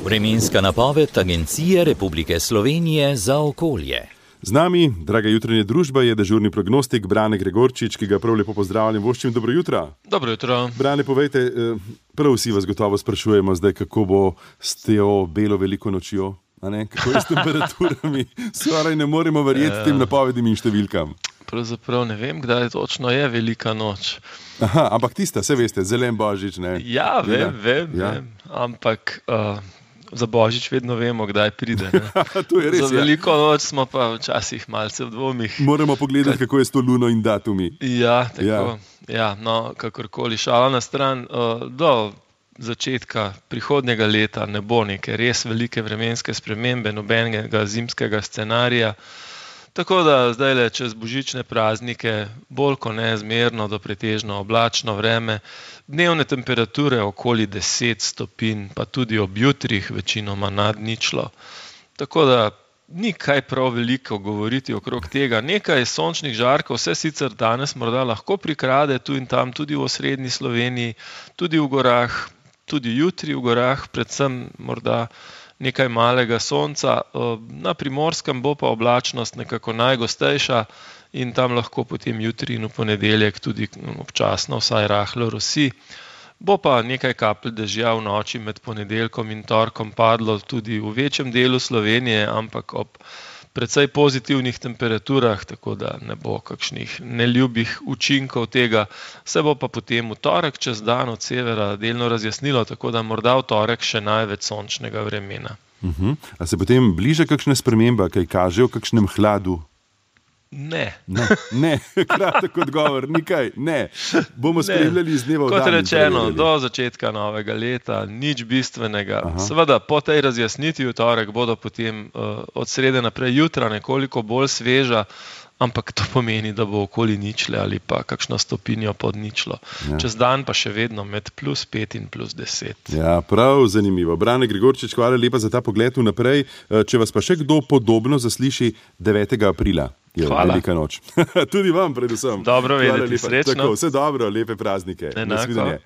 Vremenska napoved Agencije Republike Slovenije za okolje. Z nami, draga jutranja družba, je dežurni prognostik Brane Gregorčič, ki ga prav lepo pozdravljam. Voščim, dobro jutro. Dobro jutro. Brane, povejte, prav vsi vas gotovo sprašujemo zdaj, kako bo s teo belo veliko nočjo, kako je s temperaturami. Skoraj ne moremo verjeti tem napovedim in številkam. Pravzaprav ne vem, kdaj točno je velika noč. Aha, ampak tista, saj veste, zelen božič, ne? Ja, vem. Ampak za božič vedno vemo, kdaj pride. To je res, za veliko noč smo pa včasih malce v dvomih. Moramo pogledati, kako je s to luno in datumi. Ja, tako. Ja, no, kakorkoli, šala na stran. Do začetka prihodnjega leta ne bo neke res velike vremenske spremembe, nobenega zimskega scenarija. Tako da zdajle čez božične praznike bolj kot neizmerno do pretežno oblačno vreme, dnevne temperature okoli 10 stopinj, pa tudi ob jutrih večinoma nad ničlo. Tako da ni kaj prav veliko govoriti okrog tega. Nekaj sončnih žarkov se sicer danes morda lahko prikrade tu in tam, tudi v osrednji Sloveniji, tudi v gorah, tudi jutri v gorah, predvsem morda nekaj malega sonca. Na Primorskem bo pa oblačnost nekako najgostejša in tam lahko potem jutri in v ponedeljek tudi občasno vsaj rahlo rosi. Bo pa nekaj kapelj dežja v noči med ponedeljkom in torkom padlo tudi v večjem delu Slovenije, ampak ob precej pozitivnih temperaturah, tako da ne bo kakšnih neljubih učinkov tega. Se bo pa potem v torek čez dan od severa delno razjasnilo, tako da morda v torek še največ sončnega vremena. A se potem bliža kakšna sprememba, kaj kaže o kakšnem hladu? Ne. Ne, kratek odgovor, nikaj, ne. Bomo spremljali iz dneva v dan. Kot rečeno, do začetka novega leta, nič bistvenega. Seveda, po tej razjasnitvi v torek bodo potem od srede naprej jutra nekoliko bolj sveža, ampak to pomeni, da bo okoli ničle ali pa kakšno stopinjo pod ničlo. Čez dan pa še vedno med +5 in +10. Ja, prav zanimivo. Brane Gregorčič, hvala lepa za ta pogled vnaprej. Če vas pa še kdo podobno zasliši 9. aprila. Hvala. Velika noč. Tudi vam predvsem. Dobro vedeti, srečno. Tako, vse dobro, lepe praznike. Enako.